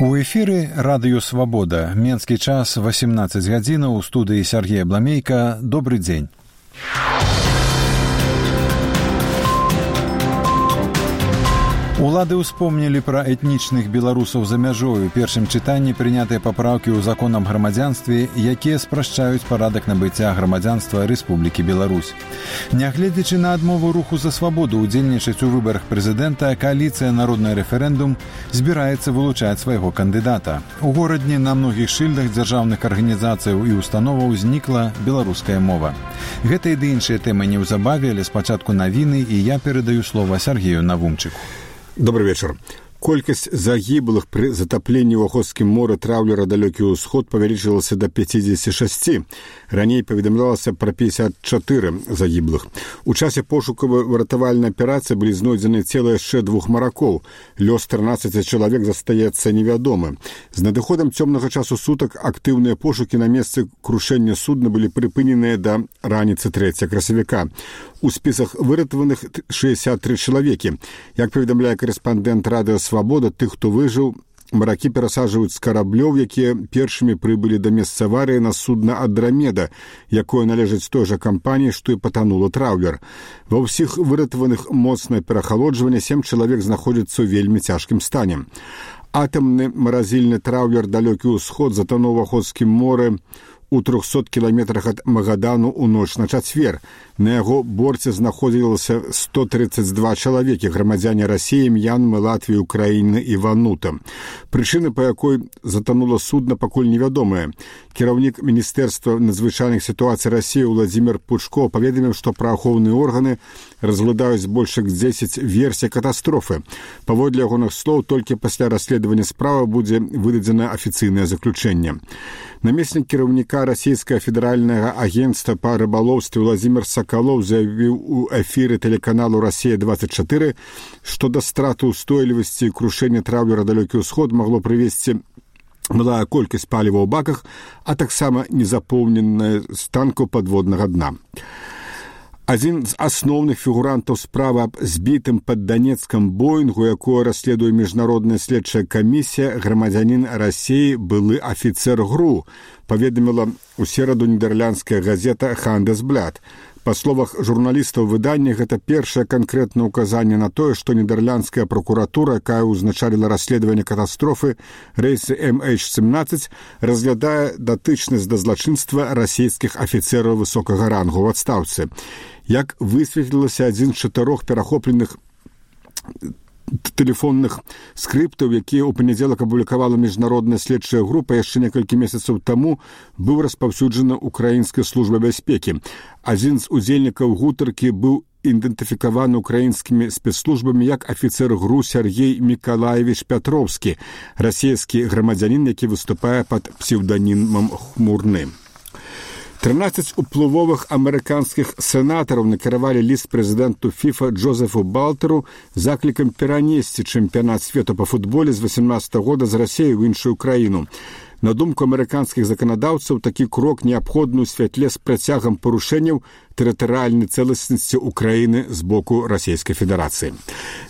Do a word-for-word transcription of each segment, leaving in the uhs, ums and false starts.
У эфіры радыё «Свабода». Менскі час восемнадцать гадзінаў, у студыі Сергея Бламейка. Добры дзень. Улады ўспомнілі пра этнічных беларусаў за мяжою. У першым чытанні прынятыя папраўкі ў закон аб грамадзянстве, якія спрашчаюць парадак набыцця грамадзянства Рэспублікі Беларусь. Нягледзячы на адмову руху за свабоду ўдзельнічаць у выбарах прэзідэнта, кааліцыя «Народны рэферэндум» збіраецца вылучаць свайго кандыдата. У горадні на многіх шыльдах дзяржаўных арганізацыяў і установаў знікла беларуская мова. Гэта і ды іншыя тэмы неўзабаве, але спачатку навіны, і я перадаю слова Сергею Навумчыку. Добрый вечер. Колькасць загіблых пры затапленні ў Ахотскім моры траўлера «Далёкі ўсход» павялічылася да пятьдесят шесть. Раней паведамлялася пра пятьдесят четыре загіблых. У часе пошукавай выратавальнай аперацыі былі знойдзены цела яшчэ двух маракоў. Лёс трынаццаці чалавек застаецца невядомы. З надыходам цёмнага часу сутак актыўныя пошукі на месцы крушэння судна былі прыпыненыя да раніцы трэцяга красавіка. У спісах выратаваных шестьдесят три чалавекі. Як паведамляе корэспандэнт радыё «Свабода», тых, хто выжыў, маракі перасаджваюць з караблёў, якія першымі прыбылі да месца аварыі на судна «Андрамеда», якое належыць той жа кампаніі, што і патанула траўлер. Ва ўсіх выратаваных моцнае перахалоджванне, сем чалавек знаходзяцца ў вельмі цяжкім стане. Атамны маразільны траўлер «Далёкі ўсход» затонуў у Ахотскім моры у трохсот кіламетрах ад Магадану ў ноч на чацвер. На яго борце знаходзілася сто тридцать два чалавекі, грамадзяне Расіі, М'янмы, Латвіі, Украіны і Ванута. Прычыны, па якой затонула судна, пакуль невядомая. Кіраўнік Міністэрства надзвычайных сітуацый Расіі Владзімір Пучко паведаміў, што праваахоўныя органы разглядаюць больш як дзесяць версій катастрофы. Паводле ягоных слоў, толькі пасля расследавання справы будзе выдадзена афіцыйнае заключэнне. Намеснік кіраўніка расійскага федэральнага агенцтва па рыбалоўстве Владзімір Сакалоў заявіў у эфіры тэлеканалу «Расія двадцать четыре», што да страты ўстойлівасці і крушэння траўлера «Далёкі ўсход» магло прывесці малая колькасць паліва ў баках, а таксама незапоўненая з танкаў падводнага дна. Адзін з асноўных фігурантаў справы аб збітым пад Данецкам Боінгу, якое расследуе міжнародная следчая камісія, грамадзянін Расіі, былы афіцэр ГРУ, паведаміла ў сераду нідерландская газета «Хандесблад». Па словах журналістаў выдання, гэта першае канкрэтнае ўказанне на тое, што нідерландская прокуратура, якая ўзначаліла расследаванне катастрофы рэйса эм эйч семнадцать, разглядае датычнасць да злачынства расійскіх афіцэраў высокага рангу ў адстаўцы. Як высветлілася, адзін з чатырох перахопленых тэлефонных скрыптаў, якія ў панядзелак апублікавала міжнародная следчая група яшчэ некалькі месяцаў таму, быў распаўсюджаны украінскай службай бяспекі. Адзін з удзельнікаў гутаркі быў ідэнтыфікаваны украінскімі спецслужбамі як афіцэр ГРУ Сергей Мікалаевіч Пятроўскі, расійскі грамадзянін, які выступае пад псеўданімам Хмурны. трынаццаць уплывовых амерыканскіх сенатараў накіравалі ліст прэзідэнту ФІФА Джозефу Балтеру заклікам перанесці чэмпіянат свету па футболе з васемнадцатага года з Расіі ў іншую краіну. На думку амерыканскіх заканадаўцаў, такі крок неабходны ў святле з працягам парушэнняў тэрытарыяльнай цэласнасці Украіны з боку Расійскай Федэрацыі.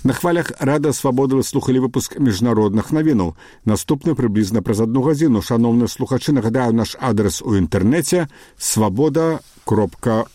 На хвалях Радыё Свабода вы слухалі выпуск міжнародных навінаў. Наступны прыблізна праз адну гадзіну. Шаноўныя слухачы, нагадаю наш адрес у інтэрнэце свабода кропка